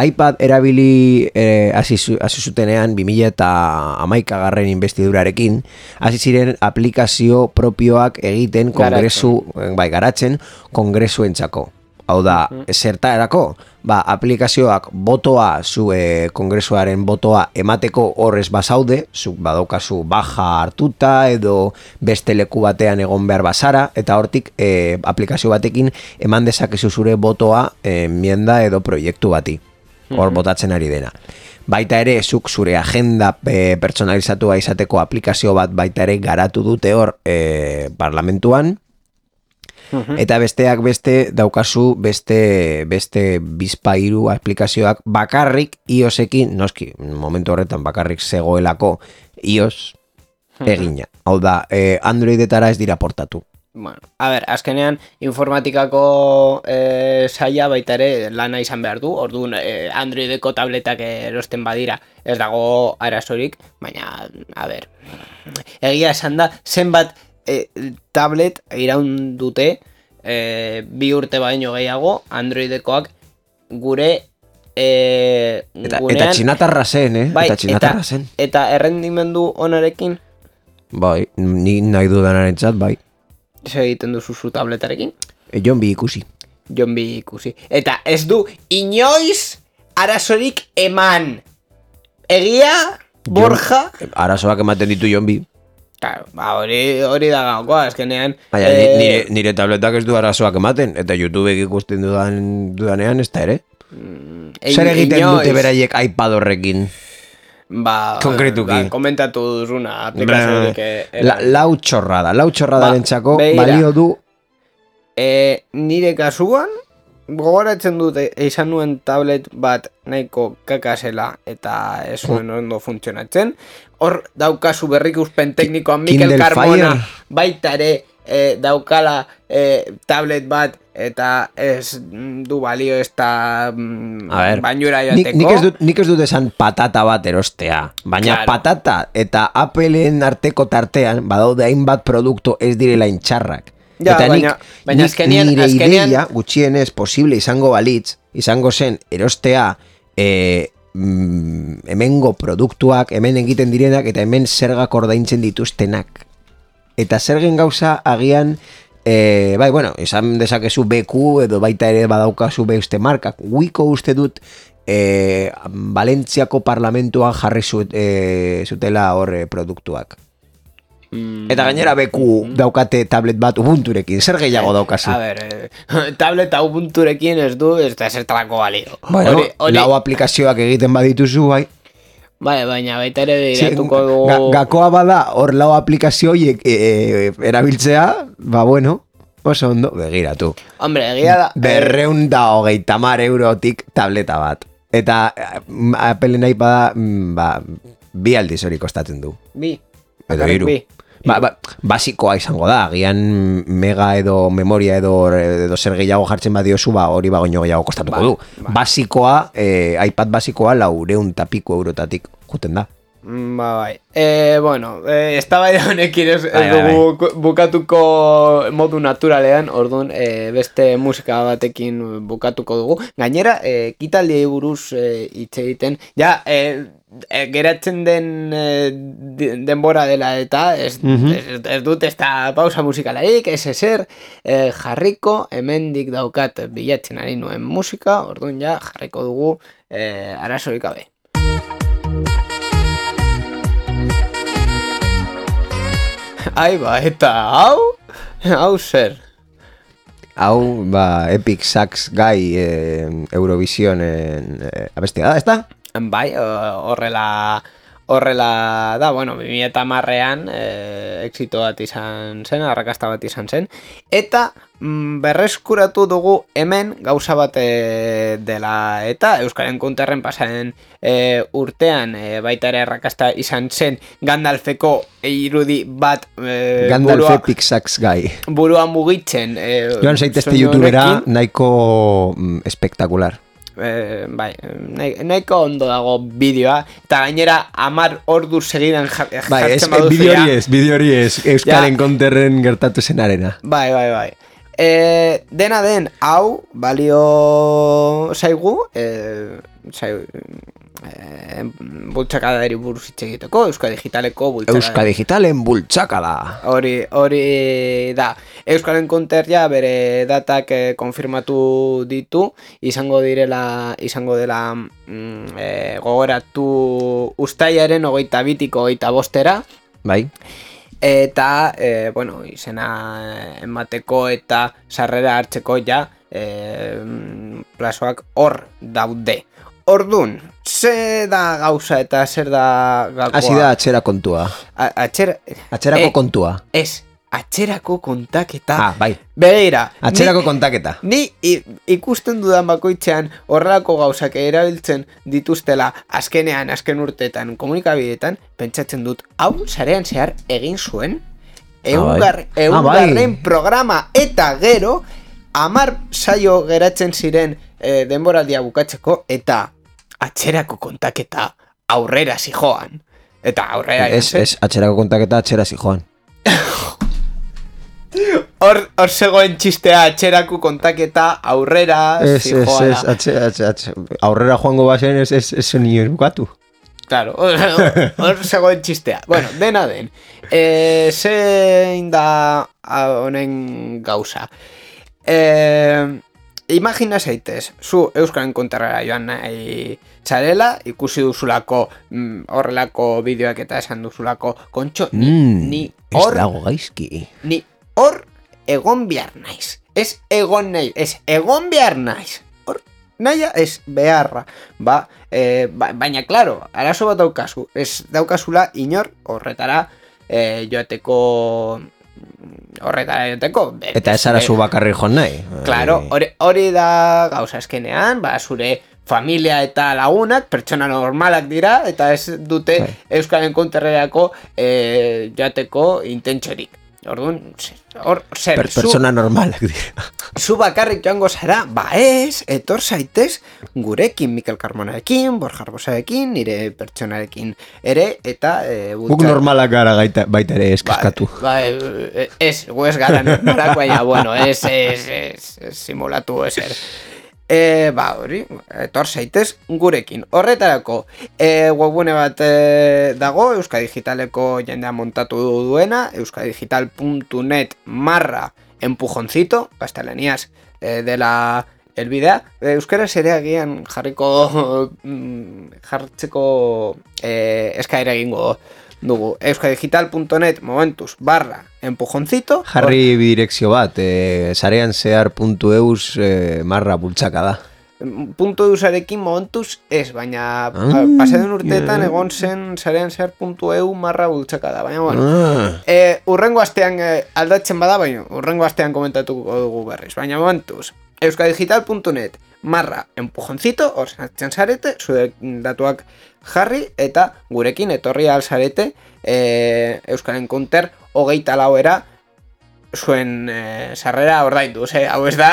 iPad erabili hasi zutenean 2011 investidurarekin, hasi ziren aplikazio propioak egiten garatzen kongresuentzako. Hau da, zertarako? Aplikazioak botoa, kongresuaren botoa emateko horrez bazaude, zuk badaukazu baja hartuta edo beste leku batean egon behar bazara, eta hortik aplikazio batekin eman dezakezu zure botoa enmienda edo proiektu bati. Hor botatzen ari dena. Baita ere, zuk zure agenda pertsonalizatua izateko aplikazio bat baita ere garatu dute hor parlamentuan, eta besteak beste daukazu beste bizpairu aplikazioak bakarrik iOSekin, noski, momentu horretan bakarrik zegoelako iOS egina. Hau da, Androidetara ez dira portatu. Bueno, a ber, azkenean informatikako saia baita ere lana izan behar du, orduan Androideko tabletak erosten badira ez dago arazorik, baina, a ber, egia esan da, zenbat tablet iraun dute 2 urte baino gehiago Androidekoak gure eta txinatarra zen, bai, eta txinatarra zen. Eta errendimendu onarekin? Bai, ni nahi dudanaren txat, bai. Zer egiten duzu zu tabletarekin? Jon bi ikusi. Eta ez du inoiz arazorik eman. Egia, Borja? Arazoak ematen ditu Jon bi. Claro, hori da gakoa, azkenean... Nire tabletak ez du arazoak ematen, eta YouTubek ikusten dudanean ez da ere. Zer egiten dute beraiek iPad horrekin? Konkretuki. Komentatu duzuna aplikaziorik... Lau txorradaren txako balio du... Nire kasuan, gogoratzen dute izan nuen tablet bat nahiko kakasela eta ez zuen ondo funtzionatzen. Hor daukazu berrikuspen teknikoan Mikel Carmona baita ere daukala tablet bat eta ez du balio ez da bainura joateko. Nik ez dut esan patata bat erostea, baina patata eta Appleen arteko tartean badaude hainbat produktu ez direla intxarrak. Eta nik nire ideia gutxienez posible izango balitz, izango zen erostea hemengo produktuak, hemen egiten direnak eta hemen zergak ordaintzen dituztenak. Eta zergen gauza agian, izan dezakezu BQ edo baita ere badaukazu beste markak. Wiko uste dut Valentziako parlamentuan jarri zutela hor produktuak. Eta gainera BQ daukate tablet bat Ubunturekin, zer gehiago daukazu? A ber, tableta Ubunturekin ez du, ez da zertarako balio. Bueno, lau aplikazioak egiten badituzu, bai. Bai, baina baita ere iratuko dugu... Gakoa bada, hor lau aplikazioiek erabiltzea, oso ondo, begiratu. Hombre, egia da... 230 eurotik tableta bat. Eta Apple nahi bada, bi aldiz hori kostatzen du. Bi. Edo hiru. Basikoa izango da, agian mega edo memoria edo zer gehiago jartzen badiozu, hori bagoino gehiago kostatuko du. Basikoa, iPad basikoa 400 pico eurotatik juten da. Bai. Bueno, eztabaida honekin ez dugu bukatuko modu naturalean, orduan beste musika batekin bukatuko dugu. Gainera, ekitaldiei buruz hitz egiten, ja, geratzen den denbora dela eta ez dut ez da pausa musikalaik, ez ezer jarriko, hemendik daukat bilatzen ari nuen musika, orduan ja jarriko dugu arazorik gabe. Aiba, eta hau zer? Hau, Epic Sax Guy Eurovision abestia da, ez da? Bai, horrela da, bueno, 2010an exito bat izan zen, arrakasta bat izan zen, eta berreskuratu dugu hemen gauza bat dela, eta Euskal Encounterren pasaren urtean baita ere arrakasta izan zen Gandalfeko irudi bat Gandalf Epic Sax Guy burua mugitzen joan zaitezte youtubera nahiko espektakular. Bai, nahiko ondo dago bideoa, eta gainera 10 ordu segidan jartzen baduzu. Bideo hori ez, Euskal Encounterren gertatu zenarena. Bai. Dena den, hau, balio zaigu, bultzakada eri buruz hitz egiteko, Euskal Digitaleko bultzakada. Euskal Digitalen bultzakada. Hori da. Euskal Encounter ja bere datak konfirmatu ditu, izango dela gogoratu ustailaren 22-tiko 25-era. Bai. Eta, bueno, izena emateko eta sarrera hartzeko ja plazoak hor daude. Ordun, ze da gauza eta zer da gakoa? Hasi da atxera kontua. Atxerako kontua. Ez, atxerako kontaketa. Bai. Begira. Atxerako kontaketa. Ni ikusten dudan bakoitzean horrelako gauzak erabiltzen dituztela azken urteetan komunikabideetan, pentsatzen dut, hau sarean zehar egin zuen, egungarren programa eta gero, 10 saio geratzen ziren denboraldia bukatzeko, eta atxerako kontaketa aurrera zijoan. Eta aurrera... Ez, atxerako kontaketa atxera zijoan. Hor zegoen txistea, atxerako kontaketa aurrera zijoan. Ez, aurrera joango bazen ez nio bukatu. Claro, hor zegoen txistea. Bueno, dena den. Zein da honen gauza. Imagina zaitez, zu Euskal Encounterrera joan nahi txarela, ikusi duzulako horrelako bideoak eta esan duzulako, kontxo, ni hor... Ez dago gaizki. Ni hor egon behar naiz. Ez egon nahi, ez egon behar naiz. Hor naia ez beharra. Baina, klaro, arazo bat daukazu. Ez daukazula inor horretara joateko... Eta ez ara zu bakarri joan nahi. Claro, hori da gauza azkenean, zure familia eta lagunak pertsona normalak dira, eta ez dute Euskal Encounterrerako joateko intentxorik. Orduan, persona normalak dira. Zu bakarrik joango zara, ez, etor zaitez gurekin, Mikel Carmonarekin, Borja Arbosarekin, nire pertsonarekin ere, eta... Guk normalak gara baita ere eskaskatu. Ez, gu ez gara normalak, baina, bueno, ez simulatu ezer. Hori, etor zaitez gurekin. Horretarako, webgune bat dago, Euskal Digitaleko jendea montatu duena, euskadigital.net /empujoncito, gaztelaniaz dela elbidea. Euskaraz ere agian jartzeko eskaera egingo dugu. euskadigital.net momentuz /empujoncito. Jarri bidirekzio bat, sarean zehar.eus /bultzakada. .eusarekin momentuz ez, baina pasaden urteetan egon zen sarean zehar.eu /bultzakada, baina bueno. Urrengo astean aldatzen bada, baina urrengo astean komentatuko dugu berriz, baina momentuz euskadigital.net marra empujoncito, hor sartzen zarete, zure datuak jarri, eta gurekin etorri alzarete Euskal Encounter 24 zuen sarrera ordaindu, hau ez da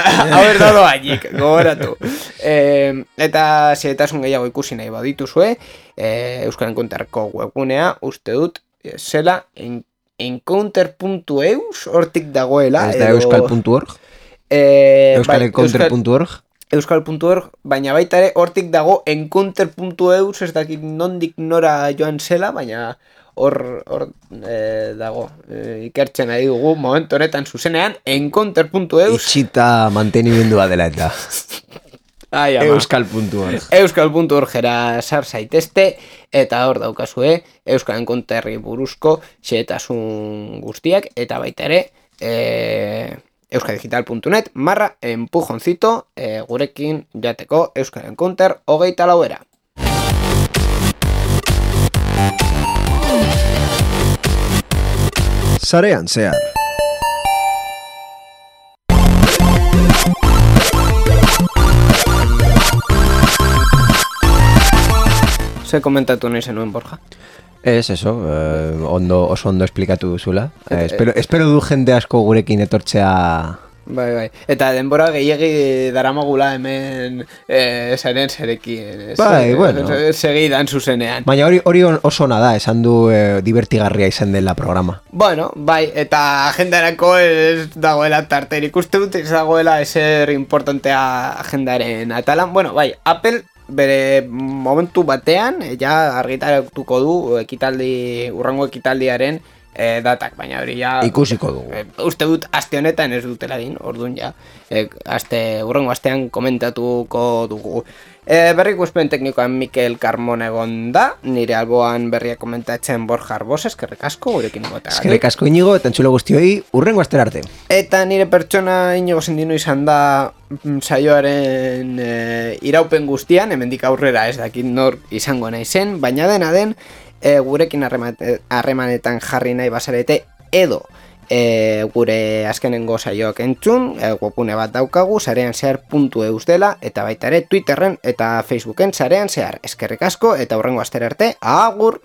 doainik, gogoratu. Eta zeretasun gehiago ikusi nahi badituzue, Euskal Encounterko webgunea uste dut zela encounter.eus hortik dagoela. Ez da euskal.org? Euskalencounter.org? Euskal.org, baina baita ere hortik dago encounter.eus, ez dakit nondik nora joan zela, baina hor dago, ikertzen ari dugu momentu honetan zuzenean, encounter.eus. Itxita mantenimendua dela eta. Euskal.org. Euskal.org era sar zaitezte, eta hor daukazue Euskal Encounterri buruzko xehetasun guztiak, eta baita ere euskadigital.net /empujoncito gurekin jateko Euskal Encounter 24. Sarean zehar. Ze komentatu nahi zenuen, Borja? Ez, eso, oso ondo esplikatu duzula. Espero du jende asko gurekin etortzea. Bai. Eta denbora gehiagi daramagula hemen zaren zerekin. Bai, bueno. Segidan zuzenean. Baina hori oso nada, esan du divertigarria izan dela programa. Bueno, bai, eta agendarako ez dagoela tarterik uste dut, ez dagoela ezer importantea agendaren atalan. Bueno, bai, Apple bere momentu batean ja argitaratuko du urrengo ekitaldiaren datak, baina hori ja ikusiko dugu. Uste dut aste honetan ez dutela din, orduan ja urrengo astean komentatuko dugu. Berrikuspen teknikoan Mikel Carmon egon da, nire alboan berria komentatzen Borja Arbos, eskerrik asko gurekin egoteagatik. Eskerrik asko Inigo eta entzulo guztioi, urrengo astera arte. Eta nire pertsona Inigo Sendino izan da saioaren iraupen guztian, hemendik aurrera ez dakit nor izango naizen, baina dena den gurekin harremanetan jarri nahi bazarete edo gure azkenengo saioak entzun, webgune bat daukagu, sareanzehar.eus dela, eta baita ere Twitterren eta Facebooken sarean zehar. Eskerrik asko eta hurrengo astera arte, agur!